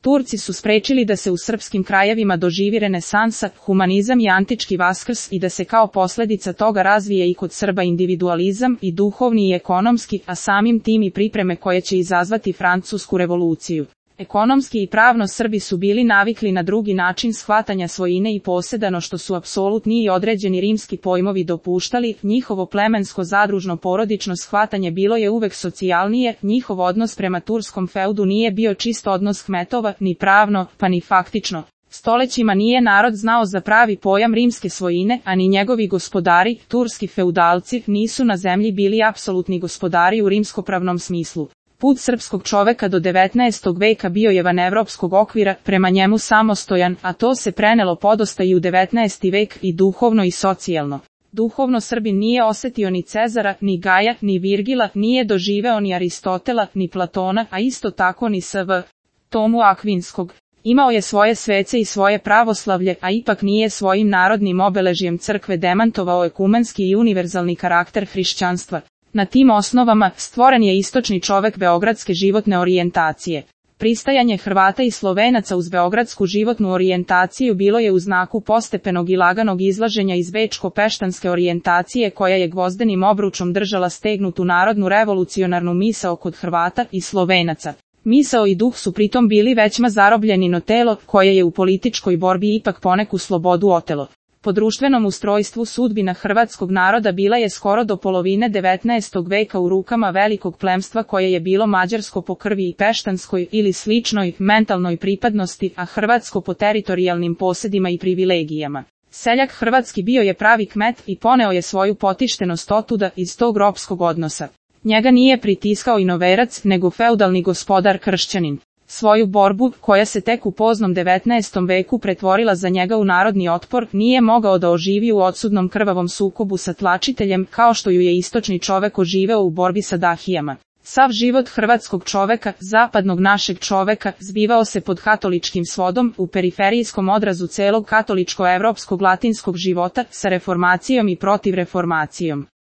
Turci su sprečili da se u srpskim krajevima doživi renesansa, humanizam i antički vaskrs i da se kao posljedica toga razvije i kod Srba individualizam i duhovni i ekonomski, a samim tim i pripreme koje će izazvati Francusku revoluciju. Ekonomski i pravno Srbi su bili navikli na drugi način shvatanja svojine i posjedano što su apsolutni i određeni rimski pojmovi dopuštali, njihovo plemensko zadružno porodično shvatanje bilo je uvek socijalnije, njihov odnos prema turskom feudu nije bio čist odnos kmetova, ni pravno, pa ni faktično. Stolećima nije narod znao za pravi pojam rimske svojine, a ni njegovi gospodari, turski feudalci, nisu na zemlji bili apsolutni gospodari u rimskopravnom smislu. Put srpskog čoveka do 19. veka bio je van evropskog okvira, prema njemu samostojan, a to se prenelo podosta i u 19. vek i duhovno i socijalno. Duhovno Srbin nije osetio ni Cezara, ni Gaja, ni Virgila, nije doživeo ni Aristotela, ni Platona, a isto tako ni S.V. Tomu Akvinskog. Imao je svoje svece i svoje pravoslavlje, a ipak nije svojim narodnim obeležjem crkve demantovao ekumenski i univerzalni karakter hrišćanstva. Na tim osnovama stvoren je istočni čovek beogradske životne orijentacije. Pristajanje Hrvata i Slovenaca uz beogradsku životnu orijentaciju bilo je u znaku postepenog i laganog izlaženja iz bečko-peštanske orijentacije koja je gvozdenim obručom držala stegnutu narodnu revolucionarnu misao kod Hrvata i Slovenaca. Misao i duh su pritom bili većma zarobljeni, no telo, koje je u političkoj borbi ipak poneku slobodu otelo. Po društvenom ustrojstvu sudbina hrvatskog naroda bila je skoro do polovine 19. veka u rukama velikog plemstva koje je bilo mađarsko po krvi i peštanskoj ili sličnoj mentalnoj pripadnosti, a hrvatsko po teritorijalnim posjedima i privilegijama. Seljak hrvatski bio je pravi kmet i poneo je svoju potištenost otuda iz tog ropskog odnosa. Njega nije pritiskao inoverac, nego feudalni gospodar kršćanin. Svoju borbu, koja se tek u poznom 19. veku pretvorila za njega u narodni otpor, nije mogao da oživi u odsudnom krvavom sukobu sa tlačiteljem, kao što ju je istočni čovek oživeo u borbi sa dahijama. Sav život hrvatskog čoveka, zapadnog našeg čoveka, zbivao se pod katoličkim svodom, u periferijskom odrazu celog katoličko-evropskog latinskog života, sa reformacijom i protiv reformacijom.